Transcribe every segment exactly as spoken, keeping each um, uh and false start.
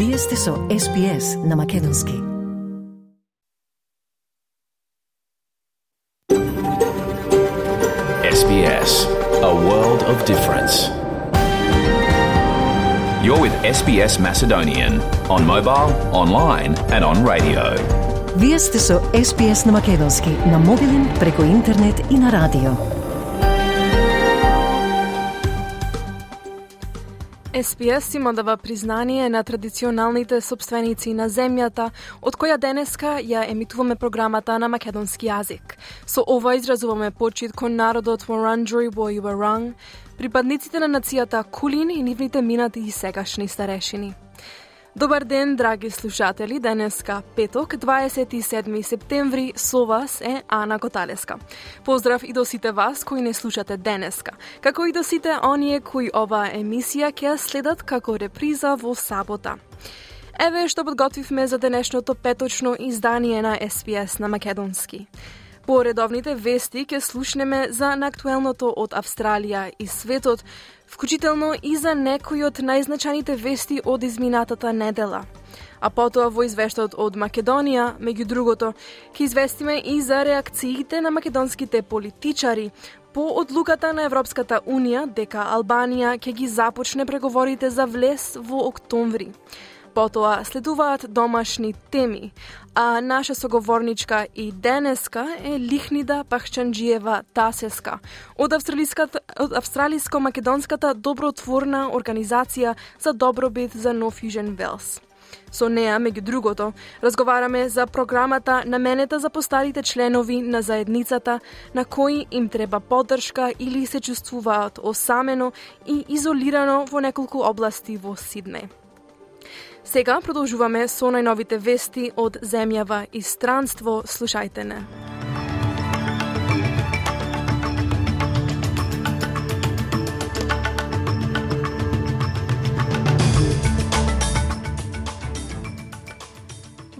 Вие сте со Ес Би Ес на Македонски. Ес Би Ес, a world of difference. You're with Ес Би Ес Macedonian on mobile, online and on radio. Вие сте со Ес Би Ес на Македонски, на мобилен, преку интернет и на радио. Ес Би Ес има дава признание на традиционалните собственици на земјата, од која денеска ја емитуваме програмата на македонски јазик. Со ова изразуваме почит кон народот Вуранџури во Јуаран, припадниците на нацијата Кулин и нивните минати и сегашни старешини. Добар ден, драги слушатели, денеска петок, дваесет и седми септември, со вас е Ана Коталеска. Поздрав и до сите вас кои не слушате денеска, како и до сите оние кои оваа емисија ќе следат како реприза во сабота. Еве што подготвивме за денешното петочно издание на Ес Би Ес на Македонски. По редовните вести ќе слушнеме за наактуелното од Австралија и светот, вклучително и за некои од најзначајните вести од изминатата недела. А потоа во извештајот од Македонија, меѓу другото, ќе известиме и за реакциите на македонските политичари по одлуката на Европската Унија дека Албанија ќе ги започне преговорите за влез во октомври. Потоа следуваат домашни теми, а наша соговорничка и денеска е Лихнида Пахчанџиева Тасеска од од австралиско-македонската добротворна организација за добробит за Нов Јужен Велс. Со неа, меѓу другото, разговараме за програмата наменета за постарите членови на заедницата на кои им треба поддршка или се чувствуваат осамено и изолирано во неколку области во Сиднеј. Сега продолжуваме со најновите вести од земјава и странство. Слушајте не.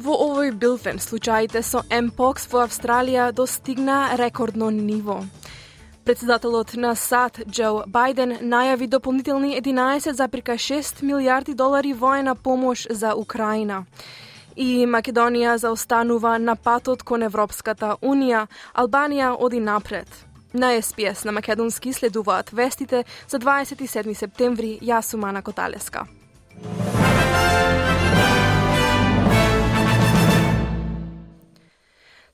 Во овој билтен случаите со Емпокс во Австралија достигна рекордно ниво. Председателот на САД Џо Бајден најави дополнителни единаесет зарез шест милијарди долари воена помош за Украина. И Македонија заостанува на патот кон Европската Унија, Албанија оди напред. На Ес Би Ес на Македонски следуваат вестите за дваесет и седми септември. Јас сум Ана Коталеска.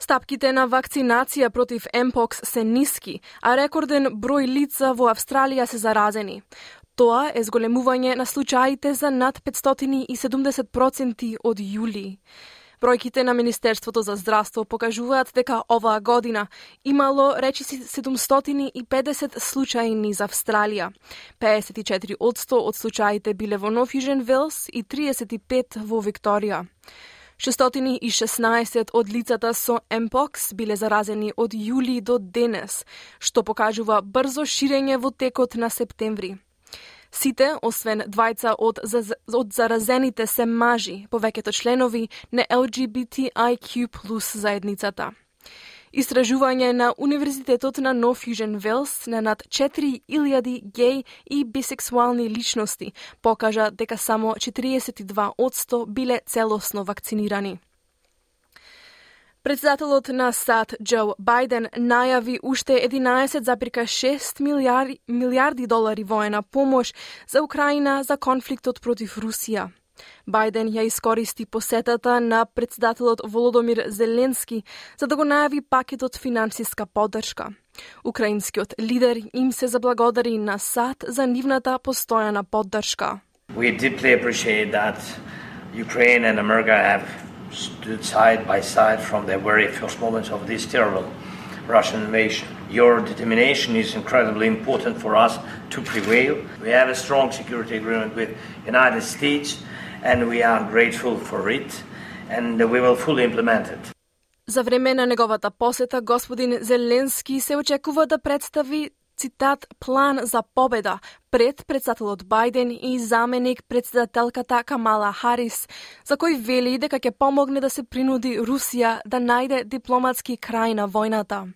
Стапките на вакцинација против Емпокс се ниски, а рекорден број лица во Австралија се заразени. Тоа е зголемување на случаите за над петстотини и седумдесет проценти од јули. Бројките на Министерството за здравство покажуваат дека оваа година имало речиси седумстотини и педесет случаи за Австралија. педесет и четири одсто од случаите биле во Нов Јужен Велс и триесет и пет во Викторија. шестстотини и шеснаесет од лицата со Емпокс биле заразени од јули до денес, што покажува брзо ширење во текот на септември. Сите, освен двајца од, од заразените се мажи, повеќето членови на Ел Џи Би Ти Ај Кју плюс заедницата. Истражување на Универзитетот на Нов Јужен Велс на над четири илјади геј и бисексуални личности покажа дека само четириесет и два одсто биле целосно вакцинирани. Председателот на САД Џо Бајден најави уште единаесет зарез шест милијарди, милијарди долари воена помош за Украина за конфликтот против Русија. Бајден ја искористи посетата на председателот Володомир Зеленски за да го најави пакетот финансиска поддршка. Украинскиот лидер им се заблагодари на САД за нивната постојана поддршка. We deeply appreciate that Ukraine and America have stood side by side from the very first moments of this terrible Russian invasion. Your determination is incredibly important for us to prevail. We have a strong security agreement with the United States and we are grateful for it and we will fully implement it. За време на неговата посета, господин Зеленски се очекува да представи, цитат, план за победа пред председателот Бајден и заменик председателката Камала Харис, за кој вели дека ќе помогне да се принуди Русија да најде дипломатски крај на војната.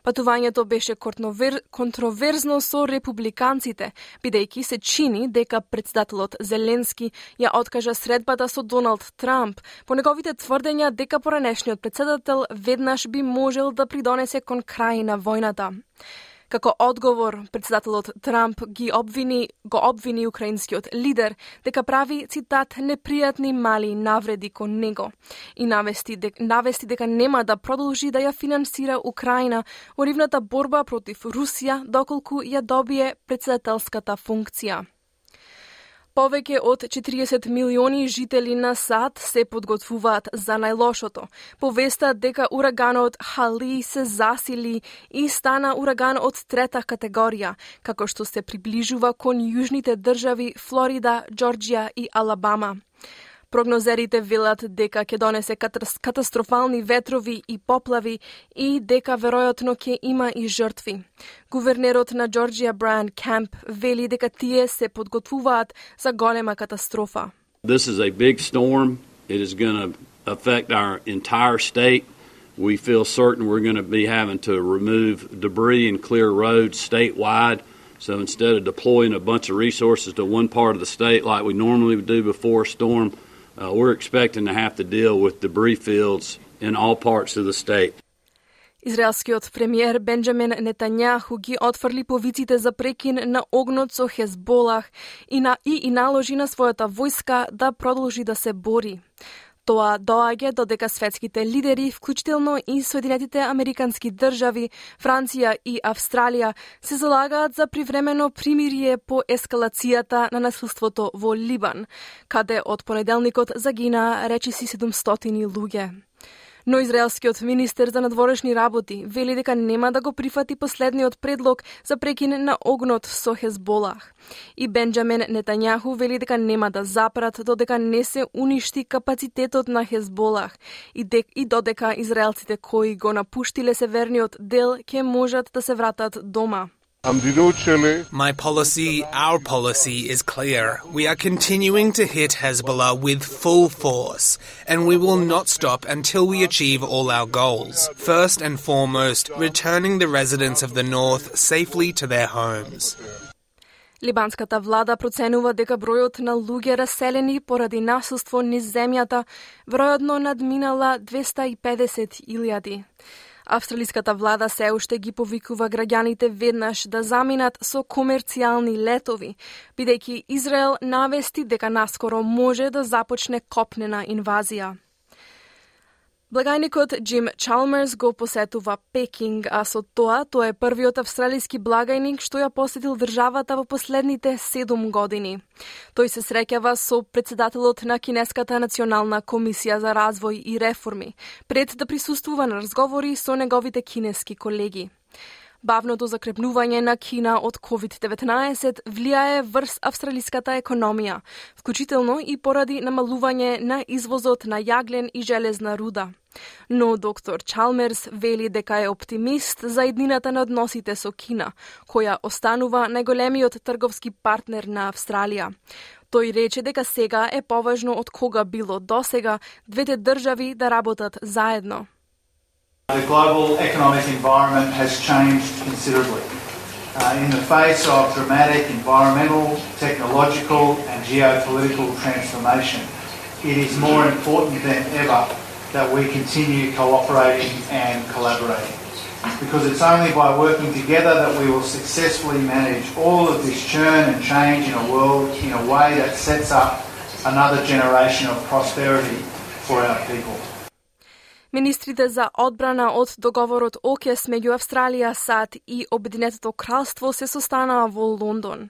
Патувањето беше контроверзно со републиканците, бидејќи се чини дека председателот Зеленски ја откажа средбата со Доналд Трамп по неговите тврдења дека поранешниот председател веднаш би можел да придонесе кон крај на војната. Како одговор, председателот Трамп ги обвини, го обвини украинскиот лидер дека прави, цитат, непријатни мали навреди кон него и навести, дек, навести дека нема да продолжи да ја финансира Украина во нивната борба против Русија доколку ја добие председателската функција. Повеќе од четириесет милиони жители на САД се подготвуваат за најлошото. Повестат дека ураганот Хали се засили и стана ураган од трета категорија, како што се приближува кон јужните држави Флорида, Џорџија и Алабама. Прогнозерите велат дека ќе донесе катастрофални ветрови и поплави и дека веројатно ќе има и жртви. Гувернерот на Џорџија Брайан Кемп вели дека тие се подготвуваат за голема катастрофа. This is a big storm. It is going to affect our entire state. We feel certain we're going to be having to remove debris and clear roads statewide. So instead of deploying a bunch of resources to one part of the state like we normally would do before a storm, Uh, we're expecting to have to deal with debris fields in all parts of the state. Израелскиот премиер Бенџамин Нетањаху ги отфрли повиците за прекин на огнот со Хезболах и, на, и, и наложи на својата војска да продолжи да се бори. Тоа доаѓа додека светските лидери, вклучително и Соединетите Американски држави, Франција и Австралија, се залагаат за привремено примирие по ескалацијата на насилството во Либан, каде од понеделникот загина речиси седумстотини луѓе. Но израелскиот министер за надворешни работи вели дека нема да го прифати последниот предлог за прекин на огнот со Хезболах. И Бенџамин Нетањаху вели дека нема да запрат додека не се уништи капацитетот на Хезболах и, дек, и додека израелците кои го напуштиле северниот дел ќе можат да се вратат дома. My policy, our policy is clear. We are continuing to hit Hezbollah with full force, and we will not stop until we achieve all our goals. First and foremost, returning the residents of the north safely to their homes. Либанската влада проценува дека бројот на луѓе раселени поради насилство низ земјата веројатно надминала двеста и педесет илјади. Австралиската влада се уште ги повикува граѓаните веднаш да заминат со комерцијални летови, бидејќи Израел навести дека наскоро може да започне копнена инвазија. Благајникот Джим Чалмерс го посетува Пекинг, а со тоа тој е првиот австралиски благајник што ја посетил државата во последните седум години. Тој се среќава со председателот на Кинеската национална комисија за развој и реформи, пред да присуствува на разговори со неговите кинески колеги. Бавното закрепнување на Кина од ковид деветнаесет влијае врз австралиската економија, вклучително и поради намалување на извозот на јаглен и железна руда. Но доктор Чалмерс вели дека е оптимист за иднината на односите со Кина, која останува најголемиот трговски партнер на Австралија. Тој рече дека сега е поважно од кога било досега двете држави да работат заедно. The global economic environment has changed considerably. Uh, in the face of dramatic environmental, technological and geopolitical transformation, it is more important than ever that we continue cooperating and collaborating. Because it's only by working together that we will successfully manage all of this churn and change in a world in a way that sets up another generation of prosperity for our people. Министрите за одбрана од договорот ОКЕС меѓу Австралија, САД и Обединетото кралство се состанаа во Лондон.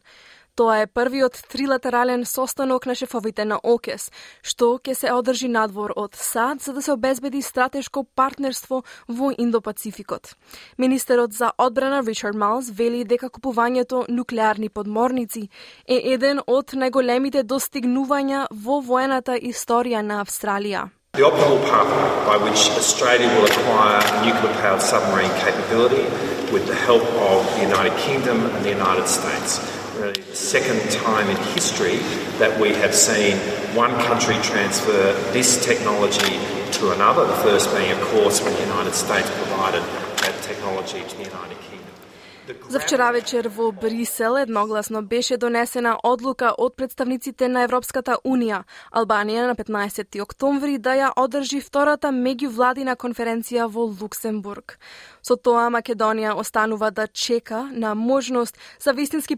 Тоа е првиот трилатерален состанок на шефовите на ОКЕС, што ќе се одржи надвор од САД за да се обезбеди стратешко партнерство во Индо-Пацификот. Министерот за одбрана Ричард Малс вели дека купувањето нуклеарни подморници е еден од најголемите достигнувања во воената историја на Австралија. The optimal pathway by which Australia will acquire nuclear-powered submarine capability with the help of the United Kingdom and the United States. Really the second time in history that we have seen one country transfer this technology to another, the first being, of course, when the United States provided that technology. technology to the United Kingdom. За вчера вечер во Брисел едногласно беше донесена одлука од представниците на Европската Унија, Албанија на петнаесети октомври да ја одржи втората меѓувладина конференција во Луксембург. Со тоа Македонија останува да чека на можност за вистински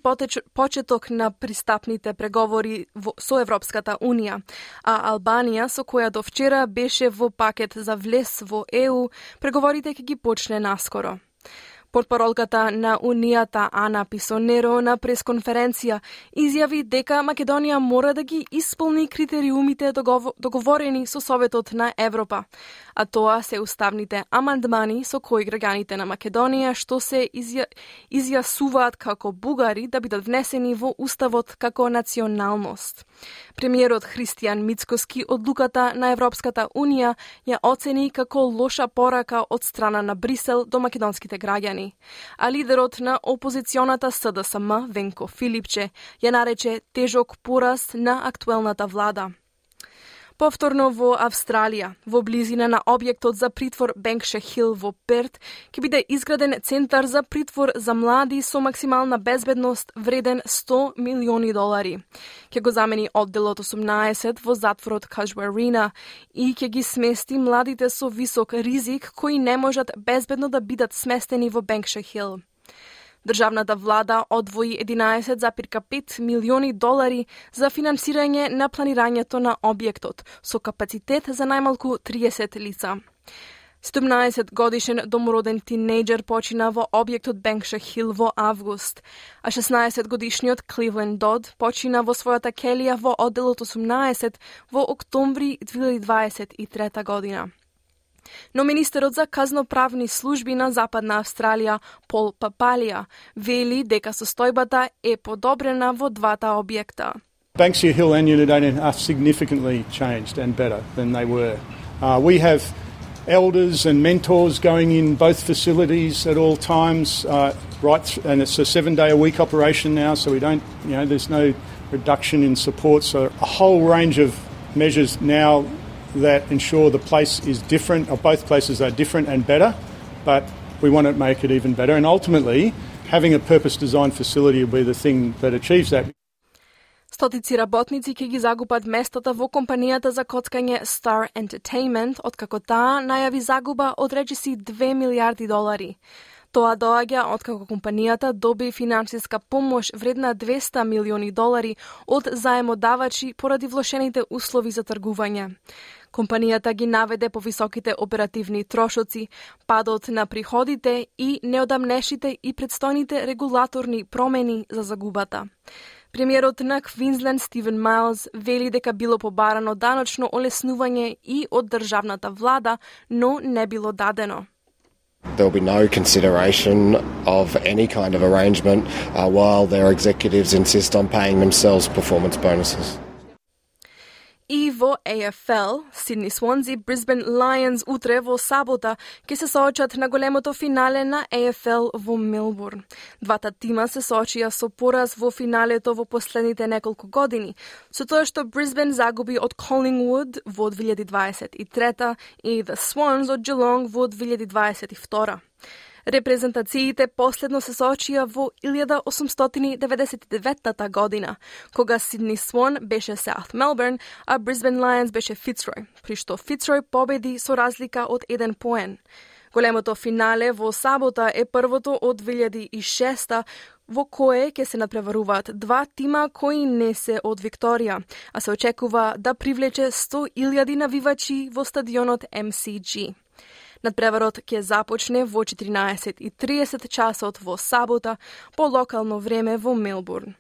почеток на пристапните преговори со Европската Унија, а Албанија, со која до вчера беше во пакет за влез во Е У, преговорите ќе ги почне наскоро. Портпаролката на Унијата Ана Писонеро на пресконференција изјави дека Македонија мора да ги исполни критериумите договорени со Советот на Европа, а тоа се уставните амандмани со кои граѓаните на Македонија што се изја... изјасуваат како бугари да бидат внесени во уставот како националност. Премиерот Христијан Мицкоски одлуката на Европската Унија ја оцени како лоша порака од страна на Брисел до македонските граѓани, а лидерот на опозиционата С Д С М Венко Филипче ја нарече тежок пораз на актуелната влада. Повторно во Австралија, во близина на објектот за притвор Бенкшир Хил во Перт, ќе биде изграден центар за притвор за млади со максимална безбедност вреден сто милиони долари. Ќе го замени одделот осумнаесет во затворот Кажуарина и ќе ги смести младите со висок ризик кои не можат безбедно да бидат сместени во Бенкшир Хил. Државната влада одвои единаесет зарез пет милиони долари за финансирање на планирањето на објектот, со капацитет за најмалку триесет лица. седумнаесет годишен домороден тинејџер почина во објектот Бенкшир Хил во август, а шеснаесет годишниот Кливленд Дод почина во својата келија во одделот осумнаесет во октомври две илјади дваесет и трета година. Но министерот за казноправни служби на Западна Австралија, Пол Папалија, вели дека состојбата е подобрена во двата објекта. Banksia Hill and Unit are significantly changed and better than they were. Uh, we have elders and mentors going in both facilities at all times, uh, right, th- and it's a seven-day-a-week operation now, so we don't, you know, there's no reduction in support. So a whole range of measures now that ensure the place is different, or both places are different and better, but we want to make it even better. And ultimately, having a purpose-designed facility will be the thing that achieves that. Стотици работници ќе ги загубат местата во компанијата за коцкање Star Entertainment, откако таа најави загуба од речиси две милијарди долари. Тоа доаѓа откако компанијата доби финансиска помош вредна двесте милиони долари од заемодавачи поради влошените услови за тргување. Компанијата ги наведе повисоките оперативни трошоци, падот на приходите и неодамнешите и предстојните регулаторни промени за загубата. Премиерот на Квинсленд Стивен Майлз вели дека било побарано даночно олеснување и од државната влада, но не било дадено. There will be no consideration of any kind of arrangement uh, while their executives insist on paying themselves performance bonuses. И во А Ф Л, Сидни Свонзи, Брисбен Лајонс утре во сабота ќе се соочат на големото финале на А Ф Л во Мелбурн. Двата тима се соочија со пораз во финалето во последните неколку години, со тоа што Брисбен загуби од Коллингвуд во две илјади дваесет и трета и The Swans од Geelong во две илјади дваесет и втора. Репрезентациите последно се соочија во илјада осумстотини деветдесет и деветта година, кога Сидни Свон беше South Melbourne, а Brisbane Lions беше Fitzroy, при што Fitzroy победи со разлика од еден поен. Големото финале во сабота е првото од две илјади и шеста, во кое ќе се надпреваруваат два тима кои не се од Викторија, а се очекува да привлече сто илјади навивачи во стадионот М С Г. Надпреварот ќе започне во четиринаесет и тридесет часот во сабота по локално време во Мелбурн.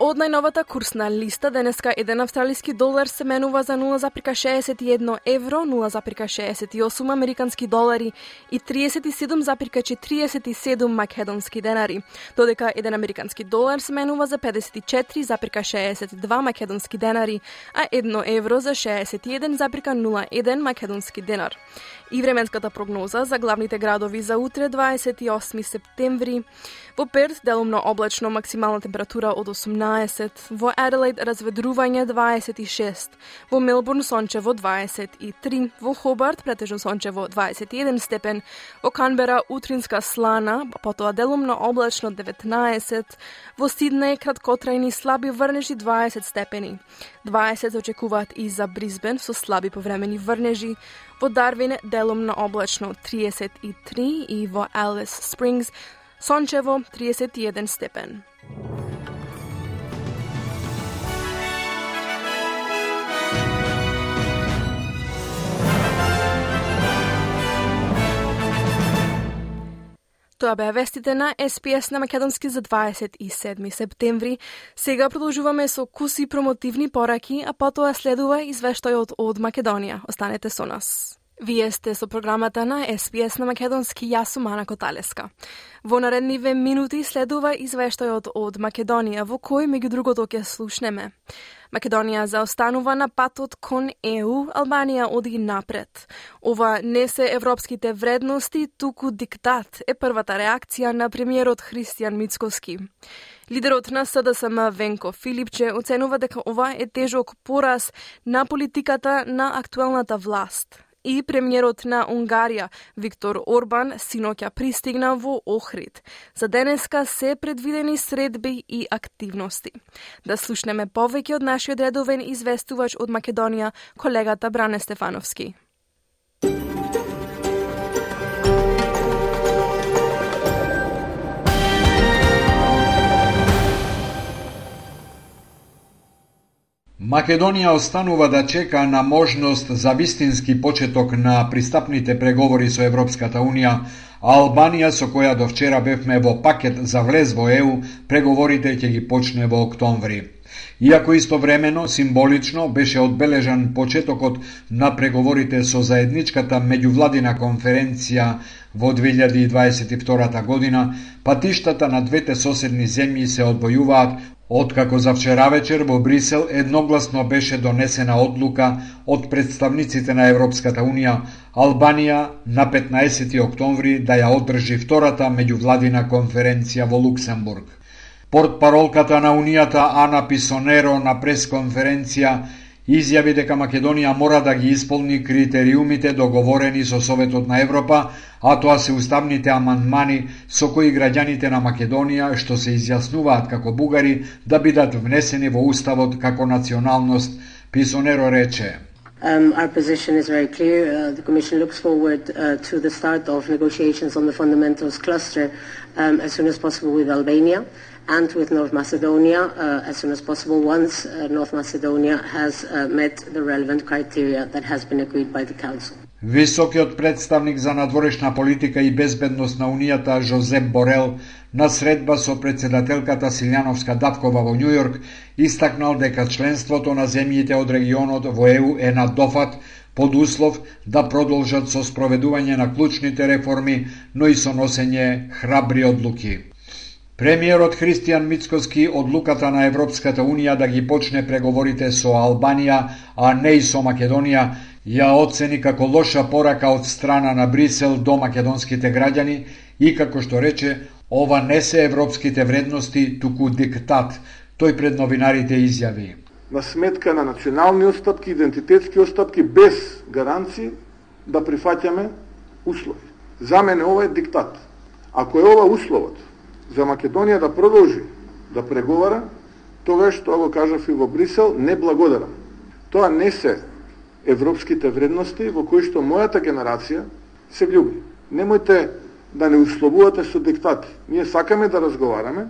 Од најновата курсна листа, денеска еден австралиски долар се менува за нула зарез шеесет и едно евро, нула зарез шеесет и осум американски долари и тридесет и седум зарез четириесет и седум македонски денари, додека еден американски долар се менува за педесет и четири зарез шеесет и два македонски денари, а едно евро за шеесет и еден зарез нула еден македонски денар. И временската прогноза за главните градови за утре, дваесет и осми септември. Во Перт делумно облачно, максимална температура од осумнаесет, деветнаесет, во Аделаид разведрување дваесет и шест, во Мелбурн сончево дваесет и три, во Хобарт претежно сончево дваесет и еден степен, во Канбера утринска слана, потоа делумно облачно деветнаесет, во Сиднеј краткотрајни слаби врнежи дваесет степени, дваесет очекуваат и за Брисбен со слаби повремени врнежи, во Дарвин делумно облачно триесет и три и во Алис Спрингс сончево триесет и еден степен. Тоа беа вестите на Ес Пи Ес на македонски за дваесет и седми септември. Сега продолжуваме со куси промотивни пораки, а потоа следува извештајот од Македонија. Останете со нас. Вие сте со програмата на Ес Пи Ес на македонски, јас сум Ана Коталеска. Во наредниве минути следува извештајот од Македонија, во кој меѓу другото ќе слушнеме. Македонија заостанува на патот кон Е У, Албанија оди напред. Ова не се европските вредности, туку диктат, е првата реакција на премиерот Христијан Мицкоски. Лидерот на С Д С М Венко Филипче оценува дека ова е тежок пораз на политиката на актуелната власт. И премиерот на Унгарија, Виктор Орбан, синоќа пристигна во Охрид. За денеска се предвидени средби и активности. Да слушнеме повеќе од нашиот редовен известувач од Македонија, колегата Бране Стефановски. Македонија останува да чека на можност за вистински почеток на пристапните преговори со Европската Унија, а Албанија, со која до вчера бевме во пакет за влез во Е У, преговорите ќе ги почне во октомври. Иако истовремено, символично, беше одбележан почетокот на преговорите со заедничката меѓувладина конференција во две илјади и дваесет и втора година, патиштата на двете соседни земји се одвојуваат, откако за вчера вечер во Брисел едногласно беше донесена одлука од представниците на Европската Унија Албанија на петнаесети октомври да ја одржи втората меѓувладина конференција во Луксембург. Портпаролката на Унијата Ана Писонеро на пресконференција изјави дека Македонија мора да ги исполни критериумите договорени со Советот на Европа, а тоа се уставните амандмани со кои граѓаните на Македонија што се изјаснуваат како бугари да бидат внесени во уставот како националност, Писонеро рече. Um, our position is very clear. Uh, the Commission looks forward uh, to the start of negotiations on the fundamentals cluster um, as soon as possible with Albania and with North Macedonia uh, as soon as possible once uh, North Macedonia has uh, met the relevant criteria that has been agreed by the Council. Високиот представник за надворешна политика и безбедност на Унијата Жозеп Борел на средба со председателката Силјановска Давкова во Њујорк истакнал дека членството на земјите од регионот во Е У е на дофат под услов да продолжат со спроведување на клучните реформи, но и со носење храбри одлуки. Премиерот Христијан Мицкоски одлуката на Европската Унија да ги почне преговорите со Албанија, а не и со Македонија, ја оцени како лоша порака од страна на Брисел до македонските граѓани и, како што рече, ова не се европските вредности, туку диктат, тој пред новинарите изјави. На сметка на национални отстапки, идентитетски отстапки, без гаранции да прифаќаме услови. За мене ова е диктат. Ако е ова условот за Македонија да продолжи да преговара, тогаш, тоа го кажав и во Брисел, не благодарам. Тоа не се европските вредности во кои што мојата генерација се влюби. Немојте да не условувате со диктати. Ние сакаме да разговараме,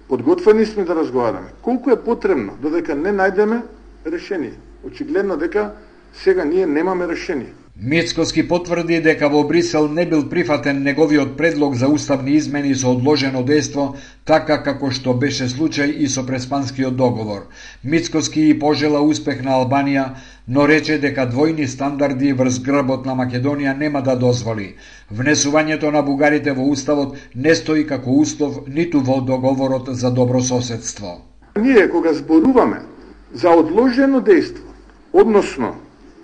подготвени сме да разговараме. Колку е потребно додека не најдеме решение? Очигледно дека сега ние немаме решение. Мицкоски потврди дека во Брисел не бил прифатен неговиот предлог за уставни измени со одложено дејство, така како што беше случај и со Преспанскиот договор. Мицкоски и пожела успех на Албанија, но рече дека двојни стандарди врз грбот на Македонија нема да дозволи. Внесувањето на бугарите во уставот не стои како услов ниту во договорот за добрососедство. Ние кога зборуваме за одложено дејство, односно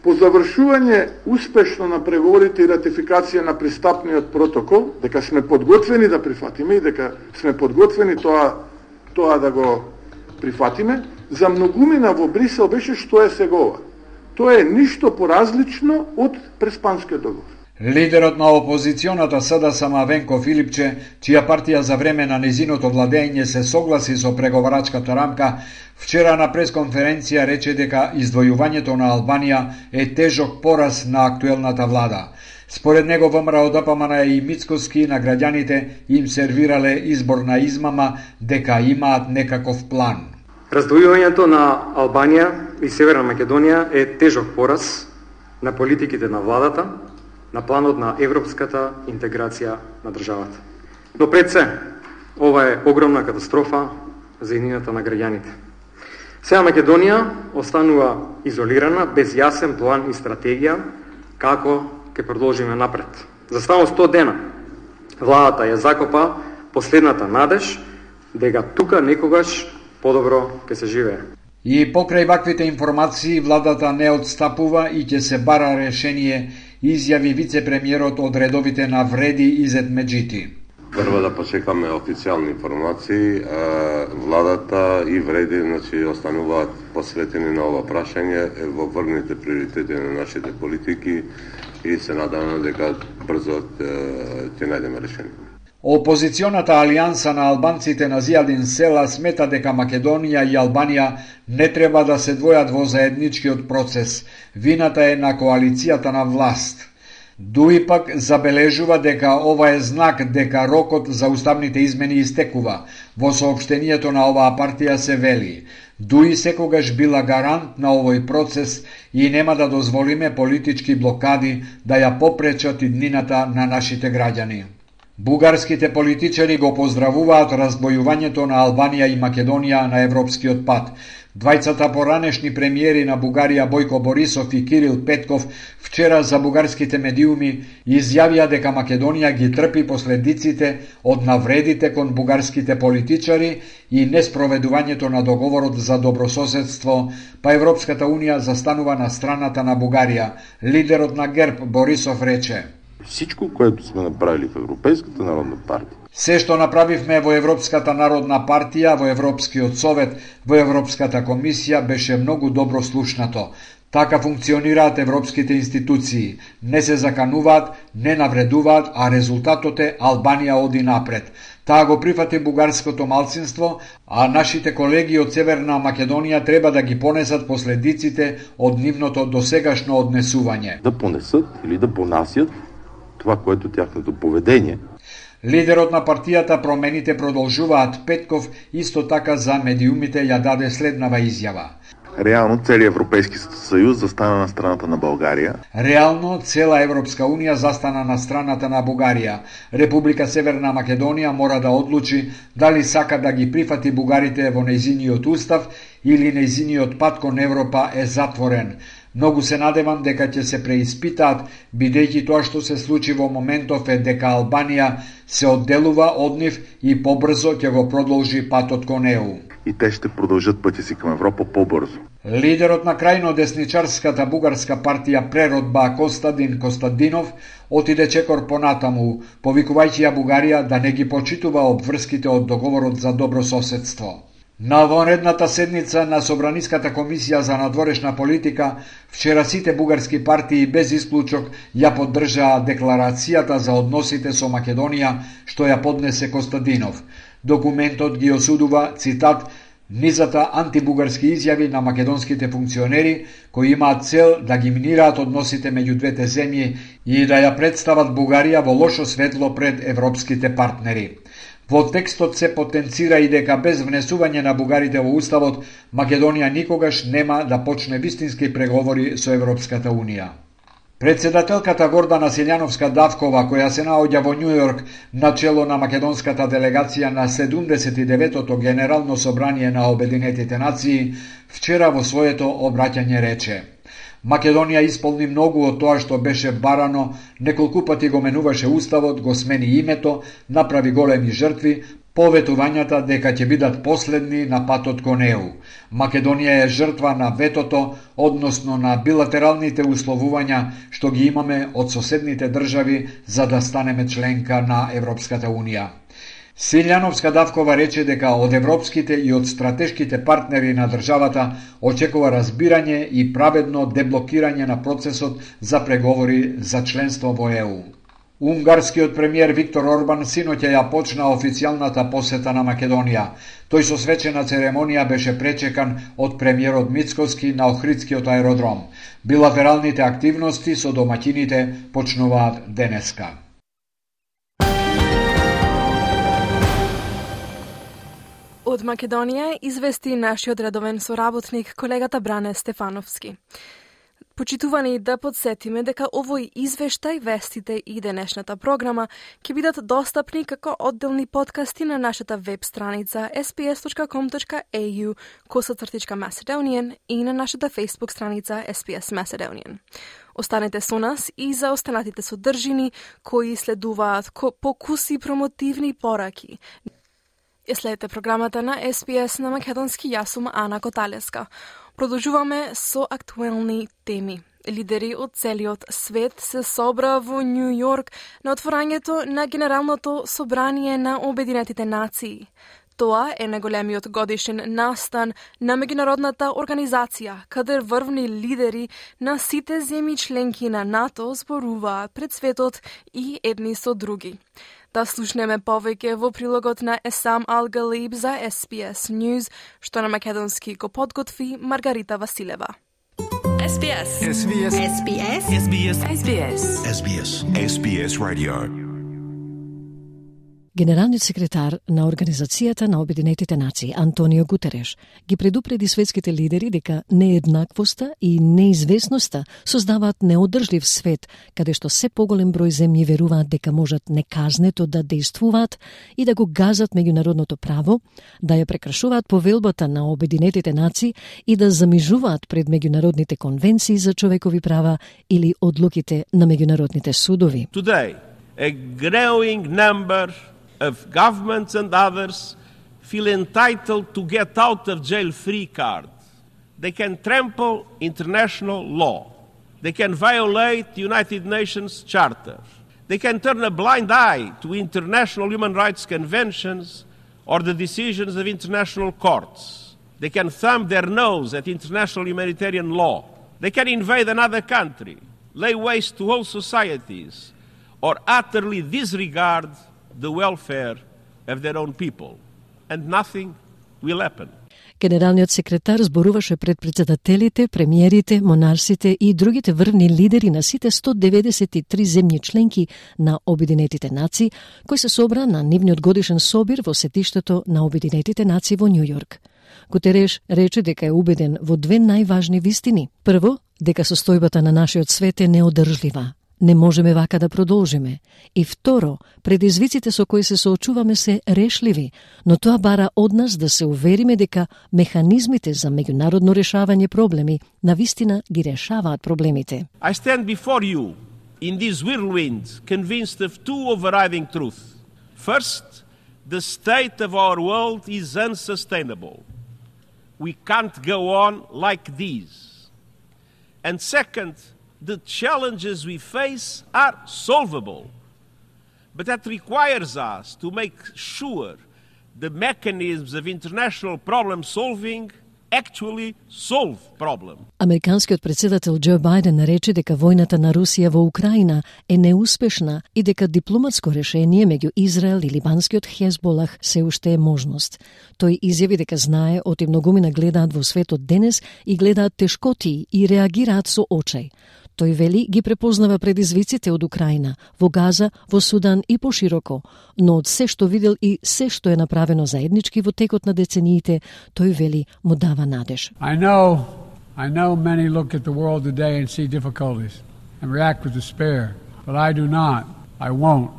по завршување успешно на преговорите и ратификација на пристапниот протокол, дека сме подготвени да прифатиме и дека сме подготвени тоа тоа да го прифатиме, за многумина во Брисел беше што е сегова. Тоа е ништо поразлично од Преспанскиот договор. Лидерот на опозиционата СДСМ Венко Филипче, чија партија за време на незиното владење се согласи со преговарачката рамка, вчера на пресконференција рече дека издвојувањето на Албанија е тежок пораз на актуелната влада. Според него ВМРО ДПМН и Мицкоски на граѓаните им сервирале изборна измама дека имаат некаков план. Раздвојувањето на Албанија и Северна Македонија е тежок пораз на политиките на владата, на планот на европската интеграција на државата. Но пред се, ова е огромна катастрофа за иднината на граѓаните. Сега Македонија останува изолирана, без јасен план и стратегија како ќе продолжиме напред. За само сто дена владата ја закопа последната надеж дека тука некогаш подобро ќе се живее. И покрај ваквите информации владата не отстапува и ќе се бара решение, изјави вице-премиерот од редовите на Вреди Изет Меджити. Прво да почекаме официјални информации, владата и Вреди значи остануваат посветени на ова прашање во врвните приоритети на нашите политики и се надеваме дека брзо ќе најдеме решение. Опозиционата алијанса на албанците на Зијадин Села смета дека Македонија и Албанија не треба да се двојат во заедничкиот процес. Вината е на коалицијата на власт. Дуи пак забележува дека ова е знак дека рокот за уставните измени истекува. Во соопштението на оваа партија се вели: Дуи секогаш била гарант на овој процес и нема да дозволиме политички блокади да ја попречат иднината на нашите граѓани. Бугарските политичари го поздравуваат раздвојувањето на Албанија и Македонија на европскиот пат. Двајцата поранешни премиери на Бугарија Бојко Борисов и Кирил Петков вчера за бугарските медиуми изјавија дека Македонија ги трпи последиците од навредите кон бугарските политичари и неспроведувањето на договорот за добрососедство, па Европската унија застанува на страната на Бугарија. Лидерот на ГЕРБ Борисов рече: Всичко, което сме направили в Европейската народна партия. Се што направивме во Европската народна партија, во Европскиот совет, во Европската комисија беше многу добро слушнато. Така функционираат европските институции. Не се закануваат, не навредуваат, а резултатот е Албанија оди напред. Таа го прифати бугарското малцинство, а нашите колеги од Северна Македонија треба да ги понесат последиците од нивното досегашно однесување. Да понесат или да понасят това, което тяхното поведение. Лидерот на партијата Промените продолжуваат Петков исто така за медиумите ја даде следнава изјава. Реално целият Европейски съюз застана на страната на България. Реално цела Европска унија застана на страната на Бугарија. Република Северна Македонија мора да одлучи дали сака да ги прифати бугарите во нејзиниот устав или нејзиниот пат кон Европа е затворен. Многу се надевам дека ќе се преиспитаат, бидејќи тоа што се случи во моментов е дека Албанија се одделува од нив и побрзо ќе го продолжи патот кон Е У. И те ще продължат пътя си към Европа по-бързо. Лидерот на крајно десничарската бугарска партија Преродба Костадин Костадинов отиде чекор понатаму, повикувајќи ја Бугарија да не ги почитува обврските од договорот за добрососедство. На вонредната седница на Собраниската комисија за надворешна политика, вчера сите бугарски партии без исклучок ја поддржаа декларацијата за односите со Македонија, што ја поднесе Костадинов. Документот ги осудува, цитат, низата антибугарски изјави на македонските функционери, кои имаат цел да ги минираат односите меѓу двете земји и да ја представат Бугарија во лошо светло пред европските партнери. Во текстот се потенцира и дека без внесување на бугарите во уставот, Македонија никогаш нема да почне вистински преговори со Европската унија. Председателката Гордана Силјановска-Давкова, која се наоѓа во Њу Јорк на чело на македонската делегација на седумдесет и деветото Генерално собрание на Обединетите нации, вчера во своето обраќање рече: Македонија исполни многу од тоа што беше барано, неколку пати го менуваше уставот, го смени името, направи големи жртви, поветувањата дека ќе бидат последни на патот кон Е У. Македонија е жртва на ветото, односно на билатералните условувања што ги имаме од соседните држави за да станеме членка на Европската унија. Силјановска-Давкова рече дека од европските и од стратешките партнери на државата очекува разбирање и праведно деблокирање на процесот за преговори за членство во Е У. Унгарскиот премиер Виктор Орбан синоќа ја почна официјалната посета на Македонија. Тој со свечена церемонија беше пречекан од премиерот Мицкоски на Охридскиот аеродром. Билатералните активности со домаќините почнуваат денеска. Од Македонија извести нашиот редовен соработник колегата Бране Стефановски. Почитувани да подсетиме дека овој извештај, вестите и денешната програма ќе бидат достапни како одделни подкасти на нашата веб страница ес би ес точка ком точка ей ю косацртичка Macedonian и на нашата Facebook страница ес би ес Macedonian. Останете со нас и за останатите содржини кои следуваат покуси промотивни пораки. Ја следите програмата на ес би ес на македонски. Јас сум Ана Коталеска. Продолжуваме со актуелни теми. Лидери од целиот свет се собра во Њу Јорк на отворањето на Генералното собрание на Обединетите нации. Тоа е најголемиот годишен настан на меѓународната организација, каде врвни лидери на сите земји членки на НАТО зборуваат пред светот и едни со други. Да слушнеме повеќе во прилогот на Есам Ал-Галиб за ес би ес News, што на македонски го подготви Маргарита Василева. ес би ес. ес би ес. ес би ес. ес би ес. ес би ес. ес би ес. ес би ес Radio. Генералниот секретар на Организацијата на Обединетите нации Антонио Гутереш ги предупреди светските лидери дека нееднаквоста и неизвестноста создаваат неодржлив свет, каде што се поголем број земји веруваат дека можат неказнето да дејствуваат и да го газат меѓународното право, да ја прекршуваат повелбата на Обединетите нации и да замижуваат пред меѓународните конвенции за човекови права или одлуките на меѓународните судови. Today, a growing number of governments and others feel entitled to get out of jail free card. They can trample international law. They can violate the United Nations Charter. They can turn a blind eye to international human rights conventions or the decisions of international courts. They can thumb their nose at international humanitarian law. They can invade another country, lay waste to whole societies, or utterly disregard the welfare of their own people, and nothing will happen. Генералниот секретар зборуваше пред председателите, премиерите, монарсите и другите врвни лидери на сите сто деветдесет и три земји членки на Обединетите нации, кои се собра на нивниот годишен собир во сетиштето на Обединетите нации во Њу Јорк. Гутереш рече дека е убеден во две најважни вистини. Прво, дека состојбата на нашиот свет е неодржлива. Не можеме вака да продолжиме. И второ, предизвиците со кои се соочуваме се решливи, но тоа бара од нас да се увериме дека механизмите за меѓународно решавање проблеми навистина ги решаваат проблемите. I stand before you in this whirlwind convinced of two overriding truths. First, the state of our world is unsustainable. We can't go on like this. And second, the challenges we face are solvable, but that requires us to make sure the mechanisms of international problem solving actually solve problem. Американскиот председател Џо Бајден рече дека војната на Русија во Украина е неуспешна и дека дипломатско решение меѓу Израел и либанскиот Хезболах се уште е можност. Тој изјави дека знае оти многумина гледаат во светот денес и гледаат тешкоти и реагираат со очај. Тој вели ги препознава предизвиците од Украина, во Газа, во Судан и пошироко, но од се што видел и се што е направено заеднички во текот на децениите, тој вели му дава надеж. I know, I know many look at the world today and see difficulties and react with despair, but I do not. I won't.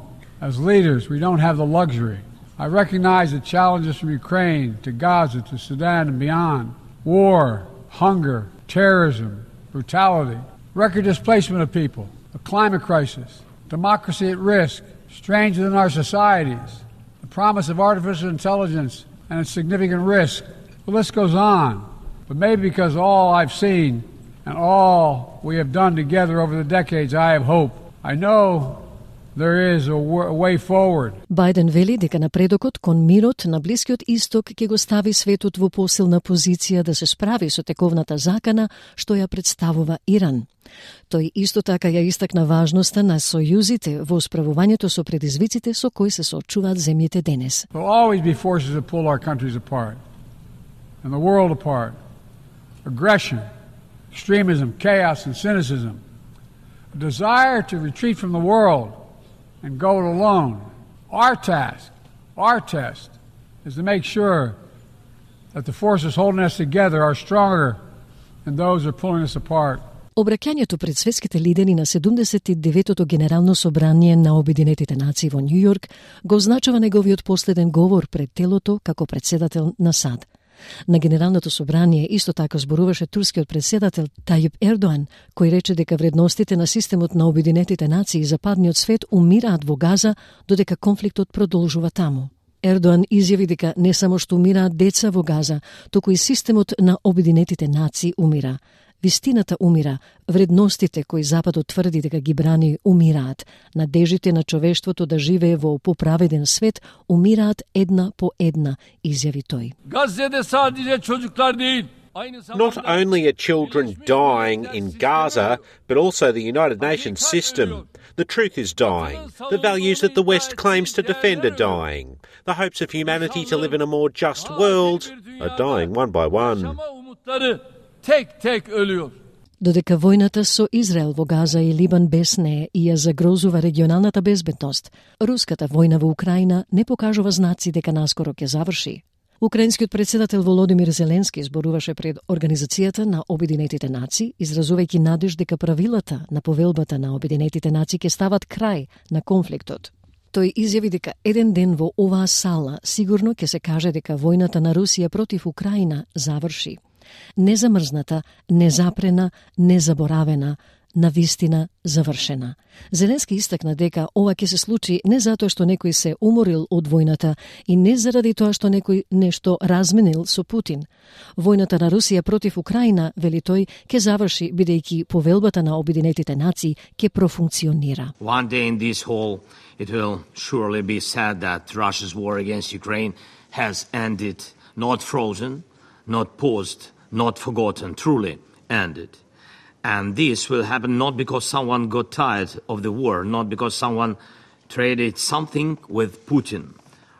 As leaders, we don't have the luxury. I recognize the challenges from Ukraine to Gaza to Sudan and beyond. War, hunger, terrorism, brutality. Record displacement of people, a climate crisis, democracy at risk, strains within our societies, the promise of artificial intelligence and its significant risk. The list goes on. But maybe because all I've seen and all we have done together over the decades, I have hope. I know There is a way forward. Бајден вели дека напредокот кон мирот на Блискиот Исток ќе го стави светот во посилна позиција да се справи со тековната закана што ја представува Иран. Тој исто така ја истакна важноста на сојузите во справувањето со предизвиците со кои се соочуваат земјите денес. There will always be forces that pull our countries apart and the world apart. Aggression, extremism, chaos and cynicism. A desire to retreat from the world and go it alone. Our task, our test, is to make sure that the forces holding us together are stronger than those that are pulling us apart. Обраќањето пред светските лидери на седумдесет и деветото Генерално собрание на Обединетите нации во Њујорк го означава неговиот последен говор пред телото како председател на САД. На Генералното собрание исто така зборуваше турскиот председател Тајип Ердоан, кој рече дека вредностите на системот на Обединетите нации и западниот свет умираат во Газа, додека конфликтот продолжува таму. Ердоан изјави дека не само што умираат деца во Газа, туку и системот на Обединетите нации умира. Вистината умира, вредностите кои Западот тврди дека ги брани умираат, надежите на човештвото да живее во поправеден свет умираат една по една, изјави тој. Not only are children dying in Gaza, but also the United Nations system. The truth is dying. The values that the West claims to defend are dying. The hopes of humanity to live in a more just world are dying one by one. Tek tek ölüyor. Додека војната со Израел во Газа и Либан без неа и ја загрозува регионалната безбедност, руската војна во Украина не покажува знаци дека наскоро ќе заврши. Украинскиот председател Володимир Зеленски зборуваше пред Организацијата на Обединетите нации, изразувајќи надеж дека правилата на повелбата на Обединетите нации ќе стават крај на конфликтот. Тој изјави дека еден ден во оваа сала сигурно ќе се каже дека војната на Русија против Украина заврши. Незамрзната, незапрена, незаборавена, навистина завршена. Зеленски истакна дека ова ќе се случи не затоа што некој се уморил од војната и не заради тоа што некој нешто разменил со Путин. Војната на Русија против Украина, вели тој, ќе заврши бидејќи повелбата на Обединетите нации ќе профункционира. One day in this hall it will surely be said that Russia's war against Ukraine has ended, not frozen, not paused, not forgotten, truly ended. And this will happen not because someone got tired of the war, not because someone traded something with Putin.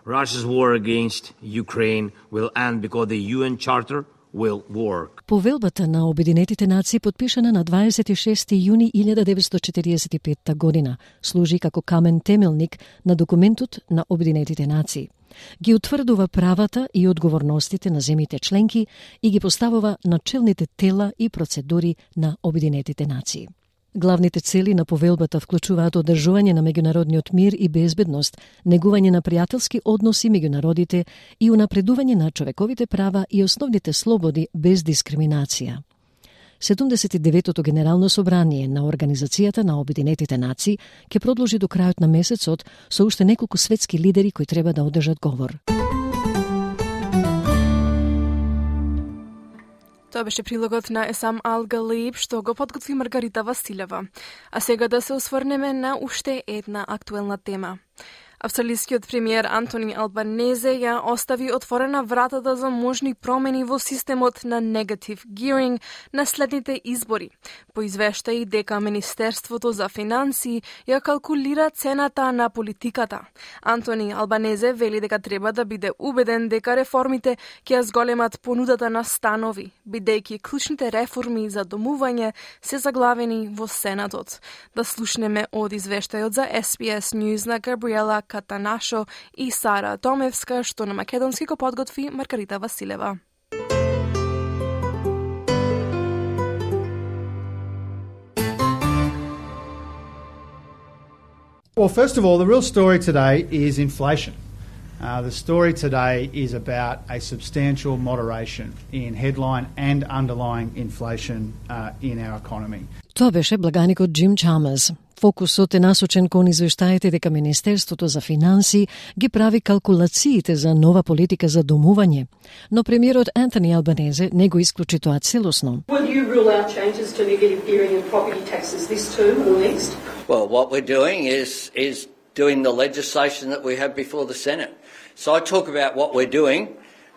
Russia's war against Ukraine will end because the U N Charter will work. Повелбата на Обединетите нации, потпишана на дваесет и шести јуни илјада деветстотини четириесет и петта година, служи како камен темелник на документот на Обединетите нации. Ги утврдува правата и одговорностите на земјите членки и ги поставува начелните тела и процедури на Обединетите нации. Главните цели на повелбата вклучуваат одржување на меѓународниот мир и безбедност, негување на пријателски односи меѓу народите и унапредување на човековите права и основните слободи без дискриминација. седумдесет и деветото Генерално собрание на Организацијата на Обединетите нации ќе продолжи до крајот на месецот со уште неколку светски лидери кои треба да одржат говор. Тоа беше прилогот на Есам Ал-Галиб, што го подготви Маргарита Василева. А сега да се осврнеме на уште една актуелна тема. Австралискиот премиер Антони Албанезе ја остави отворена вратата за можни промени во системот на негатив гиринг на следните избори. По извештаи дека Министерството за финансии ја калкулира цената на политиката. Антони Албанезе вели дека треба да биде убеден дека реформите ќе ја зголемат понудата на станови, бидејќи клучните реформи за домување се заглавени во Сенатот. Да слушнеме од извештајот за Ес Би Ес News на Габриела Катанашо и Сара Томевска, што на македонски го подготви Маргарита Василева. Well, first of all, the real story today is inflation. Uh, the story today is about a substantial moderation in headline and underlying inflation uh, in our economy. Тоа беше благаникот Джим Чамерс. Фокусот е насочен кон извештаите дека Министерството за финансии ги прави калкулациите за нова политика за домување, но премиерот Антони Албанезе не го исклучи тоа целосно. Will you rule out changes to negative gearing and property taxes this term or next? Well, what we're doing is is doing the legislation that we have before the Senate. So I talk about what we're doing,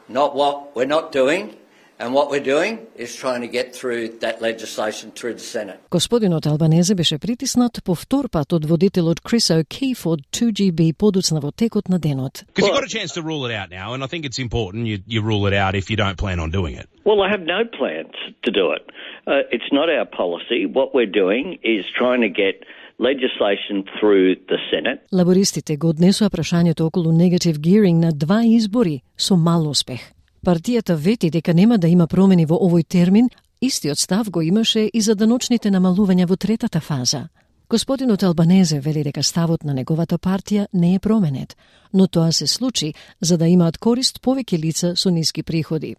not what we're not doing. And what we're doing is trying to get through that legislation through the Senate. Господинот Албанезе беше притиснат по втор пат од водителот Крис O'Keefe од two G B подоцна во текот на денот. Because you've got a chance to rule it out now, and I think it's important you, you rule it out if you don't plan on doing it. Well, I have no plans to do it. Uh, it's not our policy. What we're doing is trying to get legislation through the Senate. Лабористите го однесоа прашањето околу negative gearing на два избори со мал успех. Партијата вети дека нема да има промени во овој термин, истиот став го имаше и за даночните намалувања во третата фаза. Господинот Албанезе вели дека ставот на неговата партија не е променет, но тоа се случи за да имаат корист повеќе лица со ниски приходи.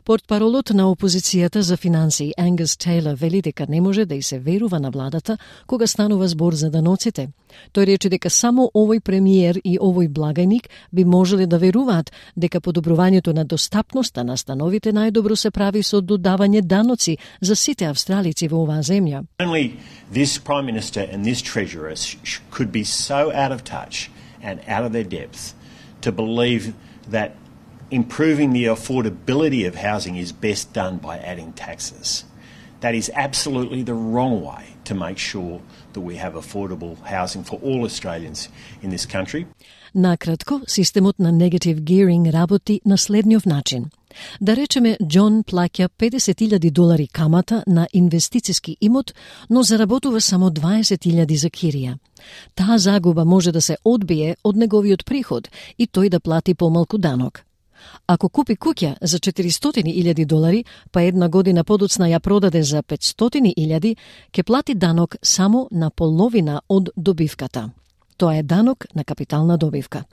Портпаролот на опозицијата за финансии Ангус Тейлор вели дека не може да и се верува на владата кога станува збор за даноците. Тој рече дека само овој премиер и овој благајник би можеле да веруваат дека подобрувањето на достапноста на становите најдобро се прави со додавање даноци за сите австралици во оваа земја. Only this Prime Minister and this Treasurer could be so out of touch and out of their depth to believe that improving the affordability of housing is best done by adding taxes. That is absolutely the wrong way to make sure that we have affordable housing for all Australians in this country. Накратко, системот на negative gearing работи на следниот начин. Да речеме, Џон плаќа педесет илјади долари камата на инвестициски имот, но заработува само дваесет илјади за кирија. Таа загуба може да се одбие од неговиот приход и тој да плати помалку данок. Ако купи куќа за четиристотини илјади долари, па една година подоцна ја продаде за петстотини илјади, ќе плати данок само на половина од добивката. Тоа е данок на капитална добивка.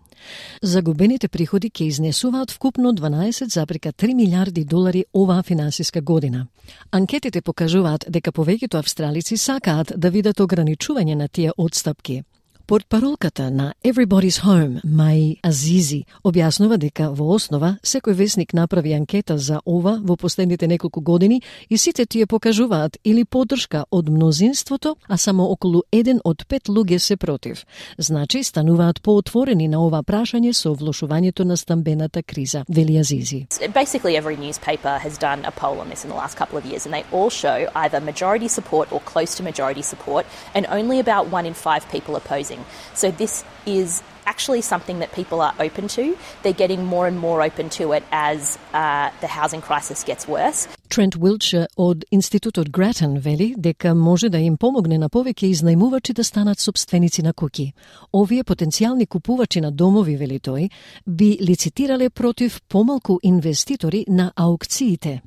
Загубените приходи ќе изнесуваат вкупно дванаесет зарез три милиарди долари оваа финансиска година. Анкетите покажуваат дека повеќето австралици сакаат да видат ограничување на тие отстапки. Портпаролката на Everybody's Home, Мај Азизи, објаснува дека во основа секој весник направи анкета за ова во последните неколку години и сите тие покажуваат или поддршка од мнозинството, а само околу еден од пет луѓе се против. Значи, стануваат поотворени на ова прашање со влошувањето на стамбената криза, вели Азизи. Basically every newspaper has done a poll on this in the last couple of years and they all show either majority support or close to majority support and only about one in five people opposing. So this is actually something that people are open to. They're getting more and more open to it as uh, the housing crisis gets worse. Трент Уилчер од Институтот Гратен вели дека може да им помогне на повеќе изнајмувачи да станат собственици на куќи. Овие потенцијални купувачи на домови, вели тој, би лицитирале против помалку инвеститори на аукциите.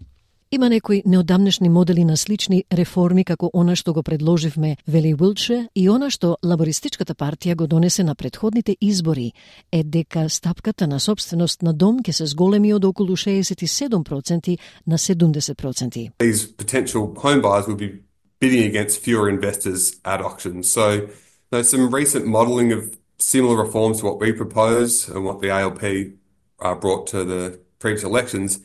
Има некои неодамнешни модели на слични реформи како она што го предложивме, вели Уилчер, и она што лабористичката партија го донесе на претходните избори, е дека стапката на собственост на дом ќе се зголеми од околу шеесет и седум проценти на седумдесет проценти. These potential home buyers will be bidding against fewer investors at auction. So there's some recent modelling of similar reforms to what we propose and what the A L P uh, brought to the previous elections.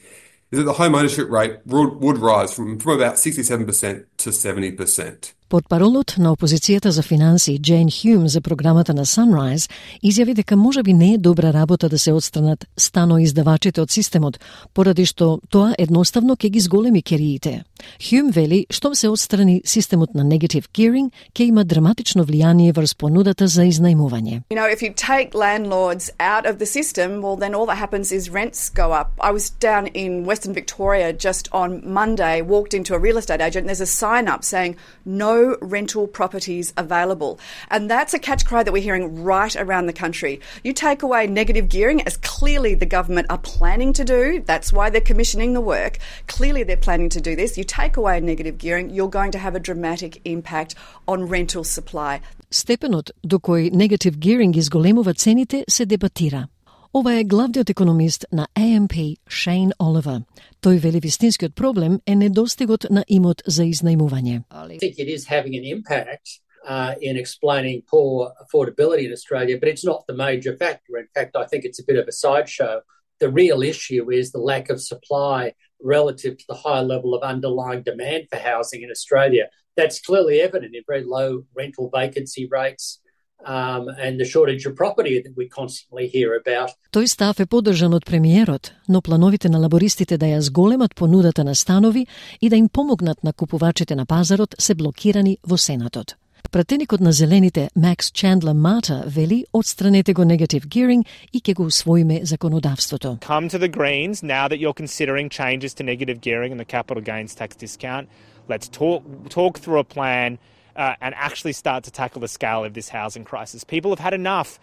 Is that the home ownership rate would, would rise from, from about sixty-seven percent to seventy percent. Портпаролот на опозицијата за финансии Джейн Хјум за програмата на Sunrise изјави дека можеби не е добра работа да се отстранат станоиздавачите од системот, поради што тоа едноставно ќе ги зголеми кериите. Хјум вели, штом се отстрани системот на negative gearing, ќе има драматично влијание врз понудата за изнајмување. You know, if you take landlords out of the system, well then all that happens is rents go up. I was down in Western Victoria just on Monday, walked into a real estate agent, and there's a sign up saying no rental properties available. And that's a catch cry that we're hearing right around the country. You take away negative gearing, as clearly the government are planning to do. That's why they're commissioning the work. Clearly they're planning to do this. You take away negative gearing, you're going to have a dramatic impact on rental supply. Степенот до кој negative gearing изголемува цените се дебатира. Ова е главниот економист на A M P, Shane Oliver. Тој вели вистинскиот проблем е недостигот на имот за изнајмување. I think it is having an impact uh, in explaining poor affordability in Australia, but it's not the major factor. In fact, I think it's a bit of a sideshow. The real issue is the lack of supply relative to the high level of underlying demand for housing in Australia. That's clearly evident in very low rental vacancy rates, um, and the shortage of property that we constantly hear about. Тој став е поддржан од премиерот, но плановите на лабористите да ја зголемат понудата на станови и да им помогнат на купувачите на пазарот се блокирани во Сенатот. Пратеникот на зелените Макс Чандлер Мата вели отстранете го negative gearing и ќе го усвоиме законодавството. Come to the Greens now that you're considering changes to negative gearing and the capital gains tax discount. Let's talk talk through a plan uh, and actually start to tackle the scale of this housing crisis. People have had enough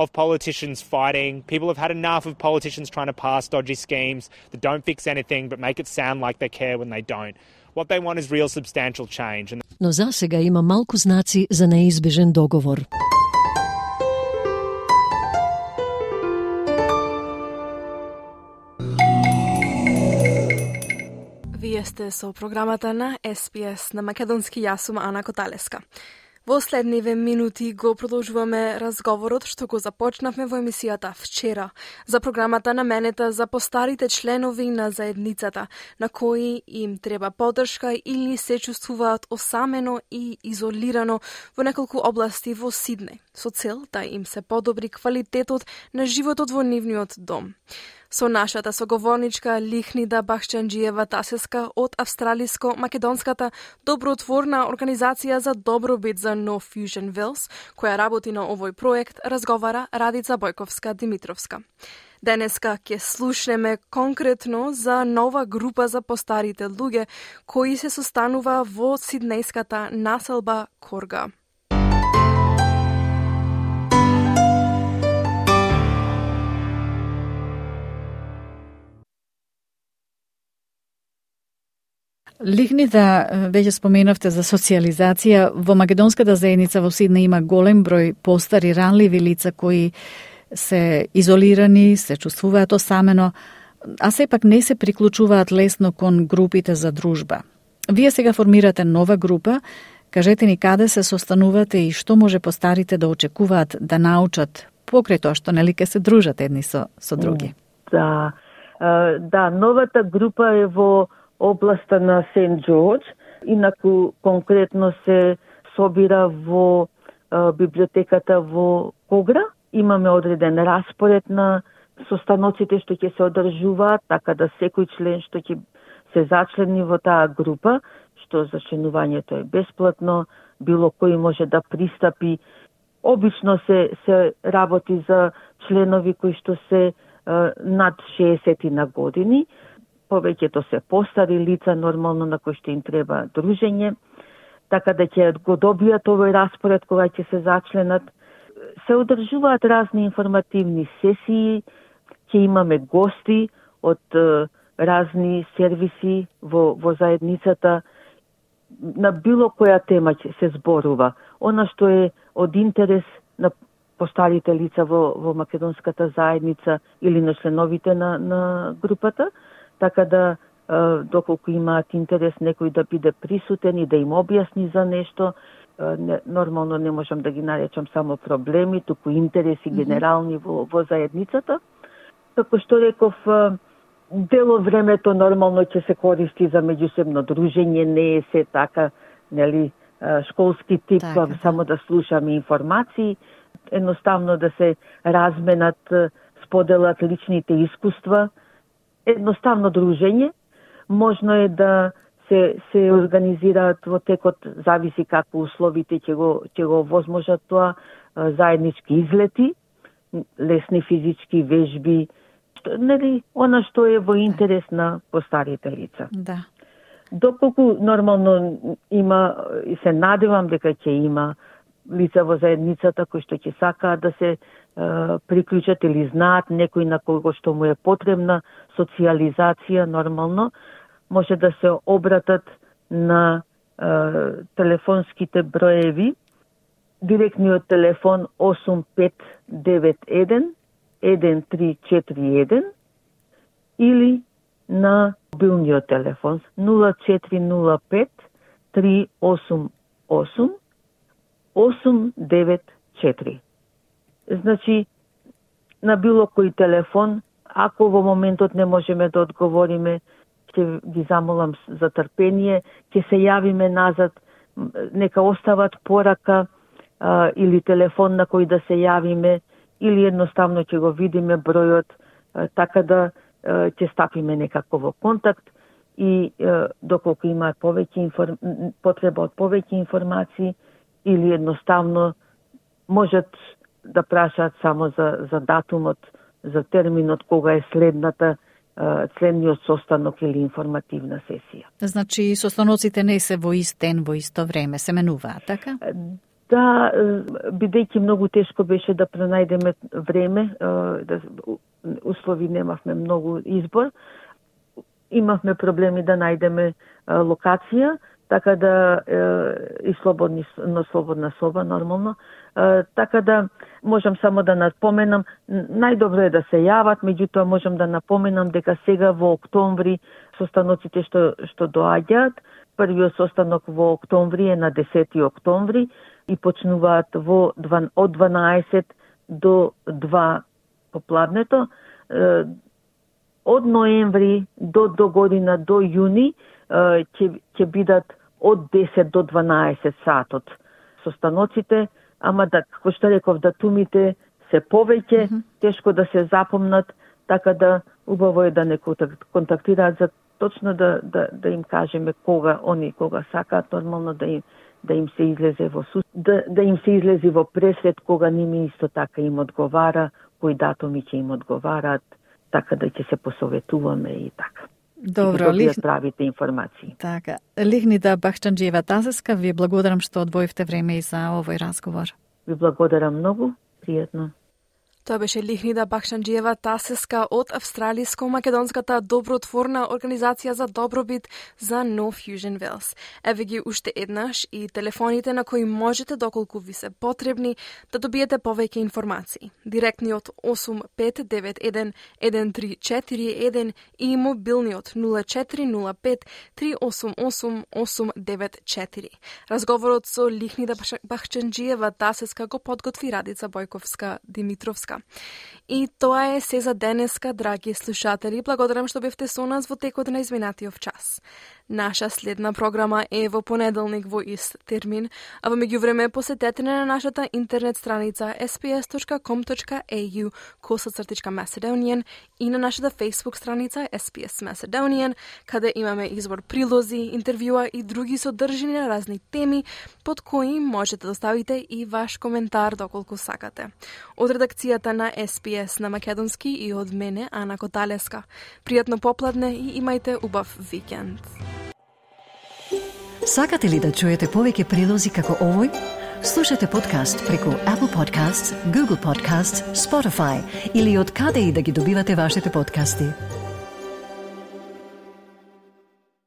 of politicians fighting. People have had enough of politicians trying to pass dodgy schemes that don't fix anything but make it sound like they care when they don't. What they want is real substantial change. Но за сега има малку знаци за неизбежен договор. Вие сте со програмата на Ес Би Ес на македонски. Јас сум Ана Коталеска. Во следниве минути го продолжуваме разговорот што го започнавме во емисијата вчера за програмата наменета за постарите членови на заедницата, на кои им треба поддршка или се чувствуваат осамено и изолирано во неколку области во Сиднеј, со цел да им се подобри квалитетот на животот во нивниот дом. Со нашата соговорничка Лихнида Бахчанџиева Тасеска од австралиско-македонската добротворна организација за добробит за No Fusion Wales, која работи на овој проект, разговара Радица Бојковска-Димитровска. Денеска ќе слушнеме конкретно за нова група за постарите луѓе кои се состанува во сиднејската населба Корга. Лихнида, веќе споменавте за социализација. Во македонската заедница во Сиднеј има голем број постари ранливи лица кои се изолирани, се чувствуваат осамено, а сепак не се приклучуваат лесно кон групите за дружба. Вие сега формирате нова група. Кажете ни каде се состанувате и што може постарите да очекуваат да научат покрај тоа што нели ке се дружат едни со, со други? Да, да, новата група е во областа на Сент Џорџ, инаку конкретно се собира во а, библиотеката во Когра. Имаме одреден распоред на состаноците што ќе се одржуваат, така да секој член што ќе се зачлени во таа група, што зачленувањето е бесплатно, било кој може да пристапи. Обично се се работи за членови кои што се а, над шеесет на години. Повеќето се постари лица, нормално на кои што им треба дружење, така да ќе го добијат овој распоред кога ќе се зачленат. Се одржуваат разни информативни сесии, ќе имаме гости од е, разни сервиси во, во заедницата. На било која тема ќе се зборува. Она што е од интерес на постарите лица во, во македонската заедница или на членовите на, на групата, така да, доколку имаат интерес некој да биде присутен и да им објасни за нешто, не, нормално не можам да ги наречам само проблеми, туку интереси генерални во, во заедницата. Како што реков, дело времето нормално ќе се користи за меѓусебно дружење, не е се така, нели, школски тип, така, да. Само да слушаме информации, едноставно да се разменат, споделат личните искуства, едноставно дружење. Можно е да се се организираат во текот, зависи како условите ќе го ќе го возможат тоа, заеднички излети, лесни физички вежби, нели, она што е во интерес на постарите лица. Да. Доколку нормално има, и се надевам дека ќе има лица во заедницата кои што ќе сакаат да се приклучат или знаат некој на кого што му е потребна социализација, нормално може да се обратат на е, телефонските броеви. Директниот телефон осум пет девет еден еден три четири еден или на мобилниот телефон нула четири нула пет три осум осум осум девет четири. Значи, на било кој телефон, ако во моментот не можеме да одговориме, ќе ги замолам за трпение, ќе се јавиме назад, нека остават порака, а, или телефон на кој да се јавиме, или едноставно ќе го видиме бројот, а, така да а, ќе стапиме некако во контакт и а, доколку има повеќе информ... потреба од повеќе информации, или едноставно можат да прашаат само за, за датумот, за терминот кога е следната, следниот состанок или информативна сесија. Значи, состаноците не се во ист ден, во исто време, се менуваат, така? Да, бидејќи многу тешко беше да пронајдеме време, да, услови немавме многу избор, имавме проблеми да најдеме локација, така да е, и слободни, но слободна соба, нормално. Е, така да можам само да напоменам, најдобро е да се јават, меѓутоа можам да напоменам дека сега во октомври состаноците што, што доаѓаат, првиот состанок во октомври е на десети октомври и почнуваат во од дванаесет до два попладнето. Е, од ноември до, до година, до јуни, ќе ќе бидат од десет до дванаесет сатот состаноците, ама да, како што реков, датумите се повеќе, mm -hmm. тешко да се запомнат, така да убаво е да не контактираат за точно да, да, да им кажеме кога они кога сакаат, нормално да им да им се излезе во сус, да, да им се излезе во пресвет кога ними исто така им одговара, кои датуми ќе им одговараат, така да ќе се посоветуваме и така. Добро, и да правите информации. Така. Лигнида Бахчанџиева-Тасеска, ви благодарам што одвоивте време и за овој разговор. Ви благодарам многу, пријатно. Тоа беше Лигнида Бахчанџиева-Тасеска од австралиско-македонската добротворна организација за добробит за No Fusion Wales. Еве ги уште еднаш и телефоните на кои можете, доколку ви се потребни, да добиете повеќе информации. Директниот осум пет девет еден еден три четири еден и мобилниот нула четири нула пет три осум осум осум девет четири. Разговорот со Лигнида Бахчанџиева-Тасеска го подготви Радица Бојковска-Димитровска. И тоа е се за денеска, драги слушатели. Благодарам што бевте со нас во текот на изминатиот час. Наша следна програма е во понеделник во ист термин, а во меѓувреме посетете на нашата интернет страница ес би ес точка ком точка ей ю косацртичка Macedonian и на нашата Facebook страница ес би ес Macedonian, каде имаме избор прилози, интервјуа и други содржини на разни теми, под кои можете да ставите и ваш коментар доколку сакате. Од редакцијата на ес би ес на македонски и од мене, Ана Коталеска. Пријатно попладне и имајте убав викенд. Сакате ли да чуете повеќе прилози како овој? Слушате подкаст преку Apple Podcasts, Google Podcasts, Spotify или од каде и да ги добивате вашите подкасти.